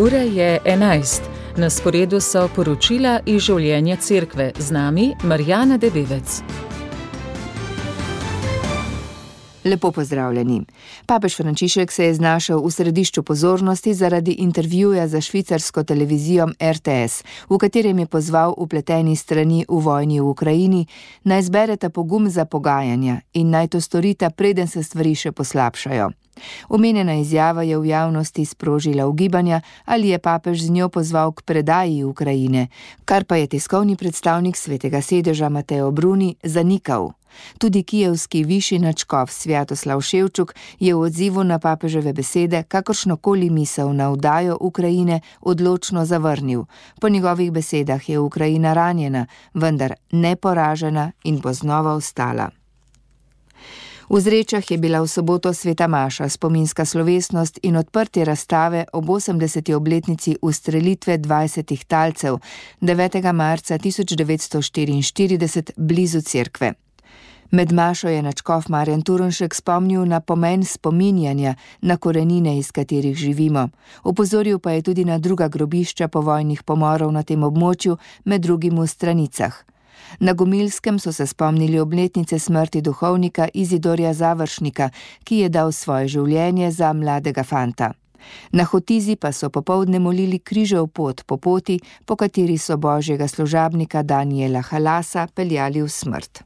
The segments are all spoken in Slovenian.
Ura je 11. Na sporedu so poročila iz življenja cerkve. Z nami Marjana Debevec. Lepo pozdravljeni. Papež Frančišek se je znašel v središču pozornosti zaradi intervjuja za švicarsko televizijo RTS, v katerem je pozval vpleteni strani v vojni v Ukrajini, naj zbereta pogum za pogajanja in naj to storita, preden se stvari še poslabšajo. Omenjena izjava je v javnosti sprožila ugibanja, ali je papež z njo pozval k predaji Ukrajine, kar pa je tiskovni predstavnik Svetega sedeža Mateo Bruni zanikal. Tudi kijevski višji nadškof Svjatoslav Ševčuk je v odzivu na papeževe besede kakršnokoli misel na vdajo Ukrajine odločno zavrnil. Po njegovih besedah je Ukrajina ranjena, vendar neporažena in bo znova vstala. V Zrečah je bila v soboto sveta maša, spominska slovesnost in odprtje razstave ob 80. obletnici ustrelitve 20 talcev 9. marca 1944 blizu cerkve. Med mašo je nadškof Marjan Turnšek spomnil na pomen spominjanja na korenine, iz katerih živimo. Opozoril pa je tudi na druga grobišča povojnih pomorov na tem območju, med drugim v Stranicah. Na Gomilskem so se spomnili obletnice smrti duhovnika Izidorja Završnika, ki je dal svoje življenje za mladega fanta. Na Hotizi pa so popoldne molili križev pot po poti, po kateri so božjega služabnika Daniela Halasa peljali v smrt.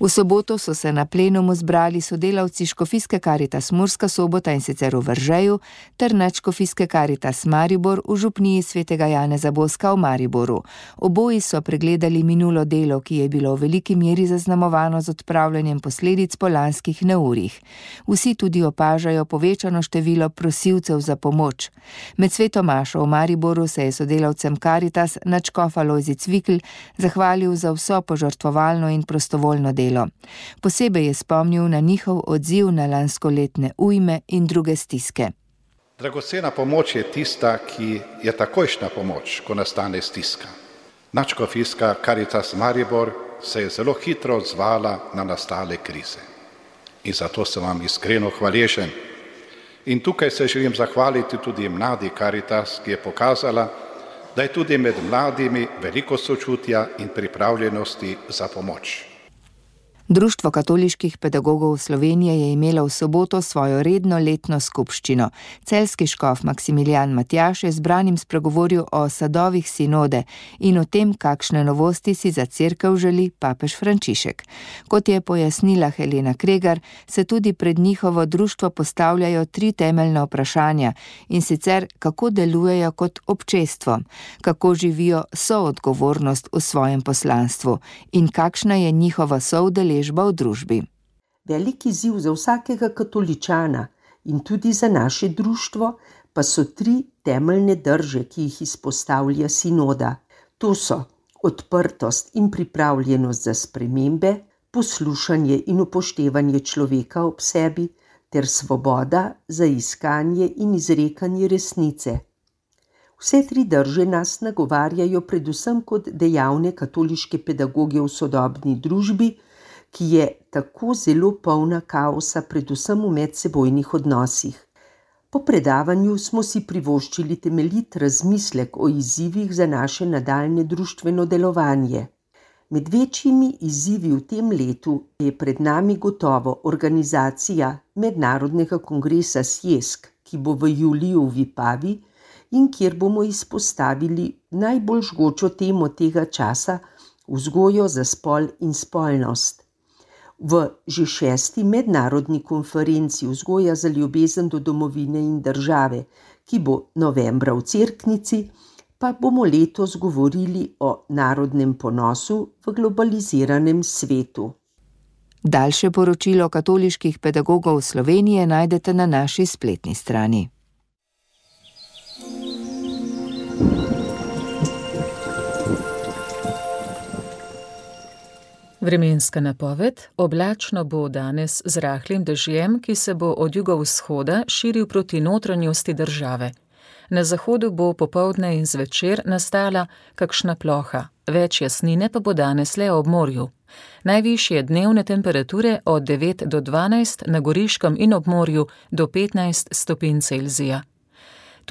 V soboto so se na plenumu zbrali sodelavci Škofijske Karitas Murska Sobota, in sicer v Veržeju, ter Nadškofijske Karitas Maribor v župniji svetega Janeza Boska v Mariboru. Oboji so pregledali minulo delo, ki je bilo v veliki meri zaznamovano z odpravljanjem posledic po lanskih neurjih. Vsi tudi opažajo povečano število prosilcev za pomoč. Med sveto mašo v Mariboru se je sodelavcem Karitas nadškof Alojzij Cvikl zahvalil za vso požrtvovalno in prostovoljno delo. Posebej je spomnil na njihov odziv na lanskoletne ujme in druge stiske. Dragocena pomoč je tista, ki je takojšnja pomoč, ko nastane stiska. Nadškofijska Karitas Maribor se je zelo hitro odzvala na nastale krize. In zato sem vam iskreno hvaležen. In tukaj se želim zahvaliti tudi mladi Karitas, ki je pokazala, da je tudi med mladimi veliko sočutja in pripravljenosti za pomoč. Društvo katoliških pedagogov Slovenije je imelo v soboto svojo redno letno skupščino. Celjski škof Maksimilijan Matjaž je zbranim spregovoril o sadovih sinode in o tem, kakšne novosti si za cerkev želi papež Frančišek. Kot je pojasnila Helena Kregar, se tudi pred njihovo društvo postavljajo 3 temeljna vprašanja, in sicer kako delujejo kot občestvo, kako živijo soodgovornost v svojem poslanstvu in kakšna je njihova soudeležba v družbi. Velik izziv za vsakega katoličana in tudi za naše društvo pa so 3 temeljne drže, ki jih izpostavlja sinoda. To so odprtost in pripravljenost za spremembe, poslušanje in upoštevanje človeka ob sebi ter svoboda za iskanje in izrekanje resnice. Vse 3 drže nas nagovarjajo predvsem kot dejavne katoliške pedagoge v sodobni družbi, ki je tako zelo polna kaosa, predvsem v medsebojnih odnosih. Po predavanju smo si privoščili temeljit razmislek o izzivih za naše nadaljnje društveno delovanje. Med večjimi izzivi v tem letu je pred nami gotovo organizacija Mednarodnega kongresa Sjesk, ki bo v juliju v Vipavi in kjer bomo izpostavili najbolj žgočo temo tega časa, vzgojo za spol in spolnost. V že 6. mednarodni konferenci Vzgoja za ljubezen do domovine in države, ki bo novembra v Cerknici, pa bomo letos govorili o narodnem ponosu v globaliziranem svetu. Daljše poročilo katoliških pedagogov Slovenije najdete na naši spletni strani. Vremenska napoved: oblačno bo danes z rahlim dežjem, ki se bo od jugovzhoda širil proti notranjosti države. Na zahodu bo popoldne in zvečer nastala kakšna ploha, več jasnine pa bo danes le ob morju. Najvišje dnevne temperature od 9 do 12, na Goriškem in ob morju do 15 stopinj Celzija.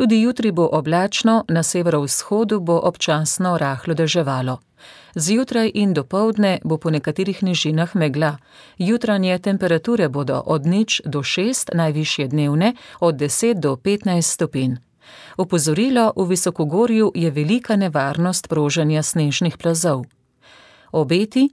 Tudi jutri bo oblačno, na severovzhodu bo občasno rahlo deževalo. Zjutraj in dopoldne bo po nekaterih nižinah megla. Jutranje temperature bodo od 0 do 6, najvišje dnevne od 10 do 15 stopinj. Opozorilo: v visokogorju je velika nevarnost proženja snežnih plazov. Obeti: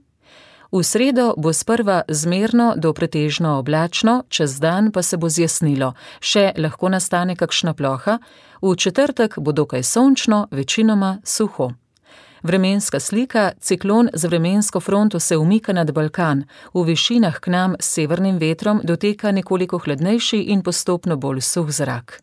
v sredo bo sprva zmerno do pretežno oblačno, čez dan pa se bo zjasnilo, še lahko nastane kakšna ploha, v četrtek bo dokaj sončno, večinoma suho. Vremenska slika: ciklon z vremensko fronto se umika nad Balkan, v višinah k nam s severnim vetrom doteka nekoliko hladnejši in postopno bolj suh zrak.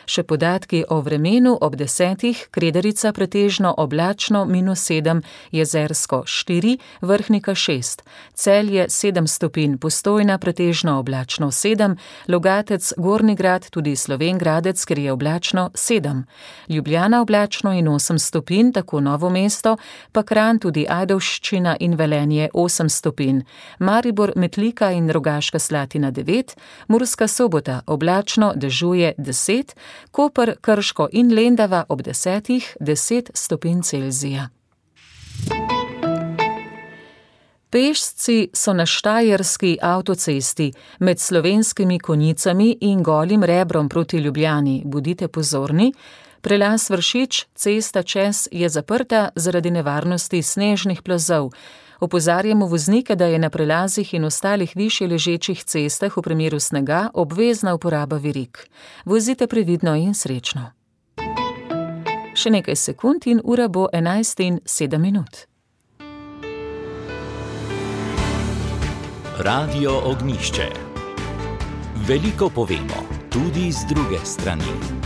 Še podatki o vremenu ob 10. Kredarica pretežno oblačno -7, Jezersko 4, Vrhnika 6, Celje 7 stopinj, Postojna pretežno oblačno 7, Logatec, Gornji Grad, tudi Slovenj Gradec, ker je oblačno 7, Ljubljana oblačno in 8 stopinj, tako Novo mesto, pa Kranj, tudi Ajdovščina in Velenje 8 stopinj, Maribor, Metlika in Rogaška Slatina 9, Murska Sobota oblačno, dežuje 10, Koper, Krško in Lendava ob 10, 10 stopinj Celzija. Pešci so na štajerski avtocesti med Slovenskimi Konjicami in Golim Rebrom proti Ljubljani. Bodite pozorni, prelaz Vršič, cesta čez je zaprta zaradi nevarnosti snežnih plazov. Opozarjamo voznike, da je na prelazih in ostalih višje ležečih cestah v primeru snega obvezna uporaba verig. Vozite previdno in srečno. Še nekaj sekund in ura bo 11:07. Radio Ognjišče. Veliko povemo, tudi z druge strani.